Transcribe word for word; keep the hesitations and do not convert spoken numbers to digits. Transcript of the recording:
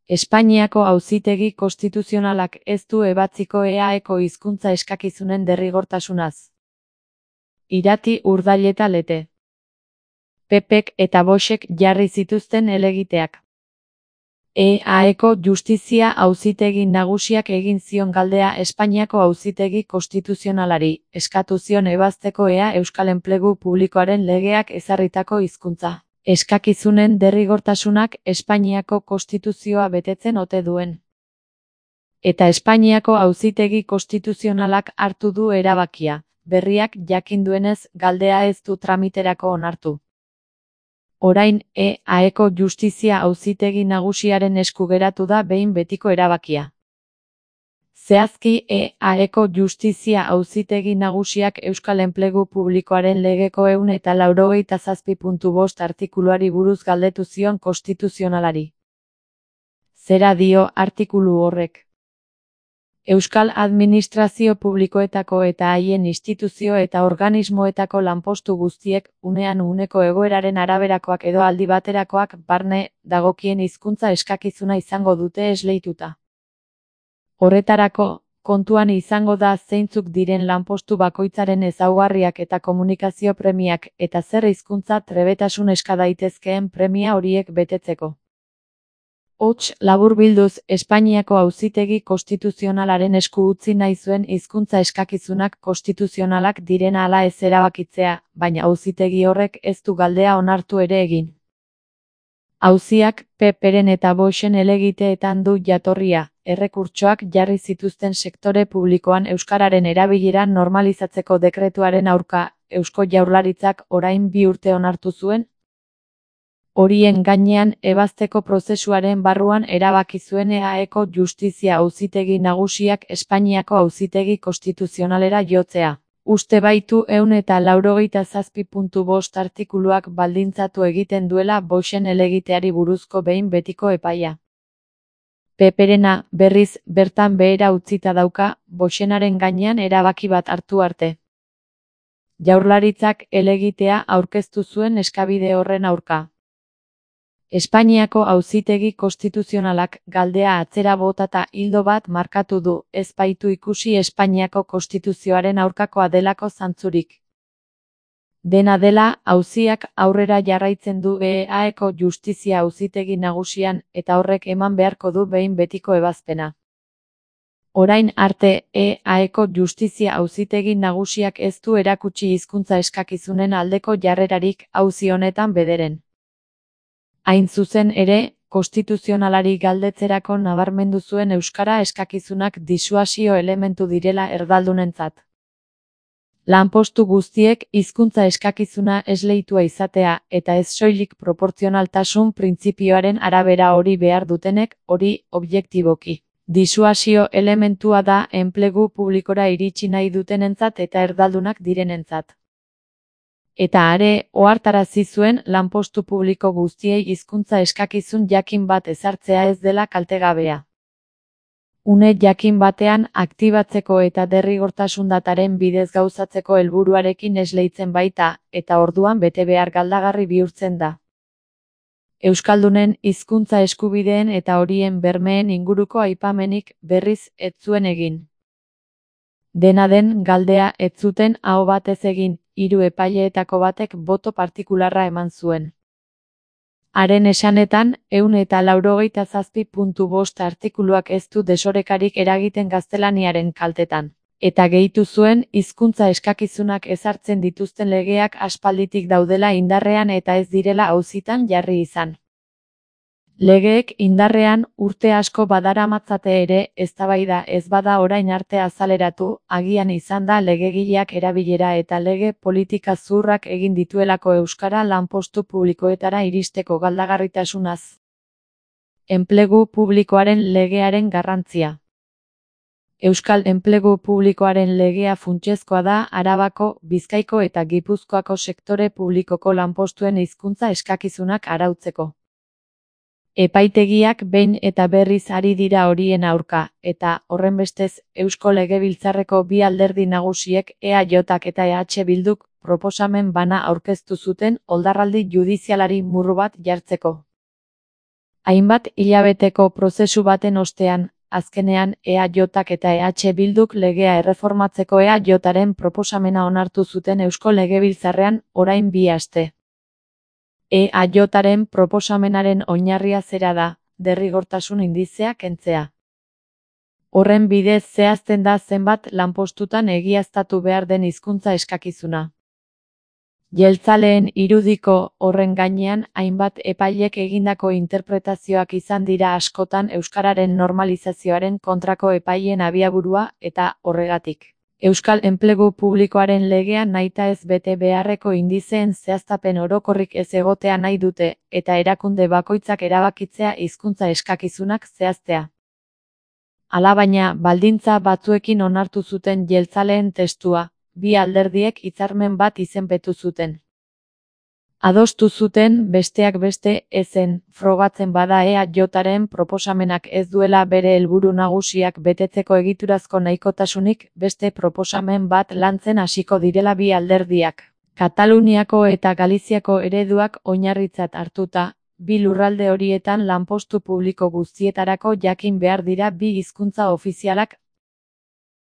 Espainiako Auzitegi Konstituzionalak ez du ebatziko E A Eko hizkuntza eskakizunen derrigortasunaz. Irati, Urdail eta Lete. P Pek eta Voxek jarri zituzten helegiteak. E A Eko Justizia Auzitegi Nagusiak egin zion galdea Espainiako Auzitegi Konstituzionalari, eskatu zion ebazteko ea Euskal Enplegu Publikoaren legeak ezarritako hizkuntza eskakizunen derrigortasunak Espainiako Konstituzioa betetzen ote duen. Eta Espainiako Auzitegi Konstituzionalak hartu du erabakia, berriak jakin duenez galdea ez du tramiterako onartu. Orain, E A Eko Justizia Auzitegi Nagusiaren esku geratu da behin betiko erabakia. Zehazki, E A Eko Justizia Auzitegi Nagusiak Euskal Enplegu Publikoaren legeko ehun eta laurogeita zazpi puntu bost artikuluari buruz galdetu zion konstituzionalari. Zera dio artikulu horrek? Euskal Administrazio Publikoetako eta haien instituzio eta organismoetako lanpostu guztiek, unean uneko egoeraren araberakoak edo aldi baterakoak barne dagokien hizkuntza eskakizuna izango dute esleituta. Horretarako, kontuan izango da zeintzuk diren lanpostu bakoitzaren ezaugarriak eta komunikazio premiak eta zer hizkuntza trebetasun eska daitezkeen premia horiek betetzeko. Hots, laburbilduz, Espainiako Auzitegi Konstituzionalaren esku utzi nahi zuen hizkuntza eskakizunak konstituzionalak direna ala ez erabakitzea, baina auzitegi horrek ez du galdea onartu ere egin. Auziak P Peren eta Voxen helegiteetan du jatorria, errekurtsoak jarri zituzten sektore publikoan euskararen erabilera normalizatzeko dekretuaren aurka, Eusko Jaurlaritzak orain bi urte onartu zuen. Horien gainean ebazteko prozesuaren barruan erabaki zuen E A Eko Justizia Auzitegi Nagusiak Espainiako Auzitegi Konstituzionalera jotzea. Uste baitu ehun eta laurogeita zazpi puntu bost artikuluak baldintzatu egiten duela Voxen helegiteari buruzko behin betiko epaia. P Perena, berriz, bertan behera utzita dauka, Voxenaren gainean erabaki bat hartu arte. Jaurlaritzak helegitea aurkeztu zuen eskabide horren aurka. Espainiako Auzitegi Konstituzionalak galdea atzera botata ildo bat markatu du, ez baitu ikusi Espainiako Konstituzioaren aurkakoa delako zantzurik. Dena dela, auziak aurrera jarraitzen du E A Eko Justizia Auzitegi Nagusian eta horrek eman beharko du behin betiko ebazpena. Orain arte, E A Eko Justizia Auzitegi Nagusiak ez du erakutsi hizkuntza eskakizunen aldeko jarrerarik auzi honetan bederen. Hain zuzen ere, konstituzionalari galdetzerako nabarmendu zuen euskara eskakizunak disuasio elementu direla erdaldunentzat. Lanpostu guztiek hizkuntza eskakizuna esleitua izatea eta ez soilik proportzionaltasun printzipioaren arabera hori behar dutenek, hori objektiboki. Disuasio elementua da enplegu publikora iritsi nahi dutenentzat eta erdaldunak direnentzat. Eta are, ohartarazi zuen lanpostu publiko guztiei hizkuntza eskakizun jakin bat ezartzea ez dela kaltegabea. Une jakin batean aktibatzeko eta derrigortasun dataren bidez gauzatzeko helburuarekin esleitzen baita, eta orduan betebehar galdagarri bihurtzen da. Euskaldunen hizkuntza eskubideen eta horien bermeen inguruko aipamenik berriz ez zuen egin. Dena den galdea ez zuten aho batez egin, hiru epaileetako batek boto partikularra eman zuen. Haren esanetan, ehun eta laurogeita zazpi puntu bost artikuluak ez du desorekarik eragiten gaztelaniaren kaltetan. Eta gehitu zuen, hizkuntza eskakizunak ezartzen dituzten legeak aspalditik daudela indarrean eta ez direla auzitan jarri izan. Legeek indarrean urte asko badaramatzate ere, eztabaida ez bada orain arte azaleratu, agian izan da legegileak erabilera eta lege politika zurrak egin dituelako euskara lanpostu publikoetara iristeko galdagarritasunaz. Enplegu publikoaren legearen garrantzia. Euskal Enplegu Publikoaren legea funtsezkoa da Arabako, Bizkaiko eta Gipuzkoako sektore publikoko lanpostuen hizkuntza eskakizunak arautzeko. Epaitegiak behin eta berriz ari dira horien aurka, eta, horrenbestez, Eusko Legebiltzarreko bi alderdi nagusiek E A Jak eta E H Bilduk proposamen bana aurkeztu zuten oldarraldi judizialari murru bat jartzeko. Hainbat hilabeteko prozesu baten ostean, azkenean E A Jk eta E H Bilduk legea erreformatzeko E A Jren proposamena onartu zuten Eusko Legebiltzarrean orain bi aste. E A Jren proposamenaren oinarria zera da, derrigortasun indizea kentzea. Horren bidez zehazten da zenbat lanpostutan egiaztatu behar den hizkuntza eskakizuna. Jeltzaleen irudiko horren gainean hainbat epailek egindako interpretazioak izan dira askotan euskararen normalizazioaren kontrako epaileen abiaburua eta horregatik. Euskal Enplegu Publikoaren legea nahitaez bete beharreko indizeen zehaztapen orokorrik ez egotea nahi dute eta erakunde bakoitzak erabakitzea hizkuntza eskakizunak zehaztea. Alabaina, baldintza batzuekin onartu zuten jeltzaleen testua, bi alderdiek hitzarmen bat izenpetu zuten. Adostu zuten, besteak beste, ezen, frogatzen bada E A Jren proposamenak ez duela bere helburu nagusiak betetzeko egiturazko nahikotasunik, beste proposamen bat lantzen hasiko direla bi alderdiak. Kataluniako eta Galiziako ereduak oinarritzat hartuta, bi lurralde horietan lanpostu publiko guztietarako jakin behar dira bi hizkuntza ofizialak